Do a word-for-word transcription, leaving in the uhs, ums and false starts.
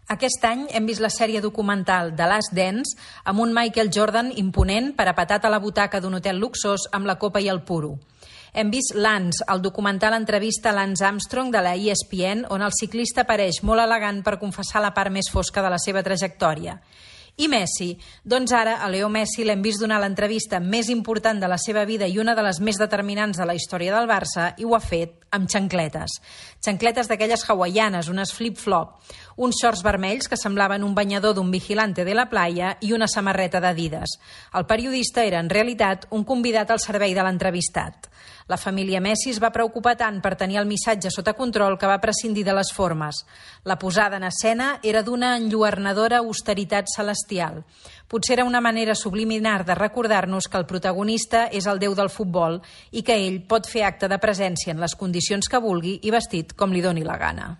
Aquest any hem vist la sèrie documental The Last Dance amb un Michael Jordan imponent parapetat a la butaca d'un hotel luxós amb la copa i el puro. Hem vist Lance, el documental entrevista a Lance Armstrong de la E S P N, on el ciclista apareix molt elegant per confessar la part més fosca de la seva trajectòria. I Messi? Doncs ara a Leo Messi l'hem vist donar l'entrevista més important de la seva vida i una de les més determinants de la història del Barça, i ho ha fet amb xancletes. Xancletes d'aquelles hawaianes, unes flip-flop, uns shorts vermells que semblaven un banyador d'un vigilante de la playa i una samarreta d'Adidas. El periodista era, en realitat, un convidat al servei de l'entrevistat. La família Messi es va preocupar tant per tenir el missatge sota control que va prescindir de les formes. La posada en escena era d'una enlluernadora austeritat celestial. Potser era una manera subliminar de recordar-nos que el protagonista és el déu del futbol i que ell pot fer acte de presència en les condicions que vulgui i vestit com li doni la gana.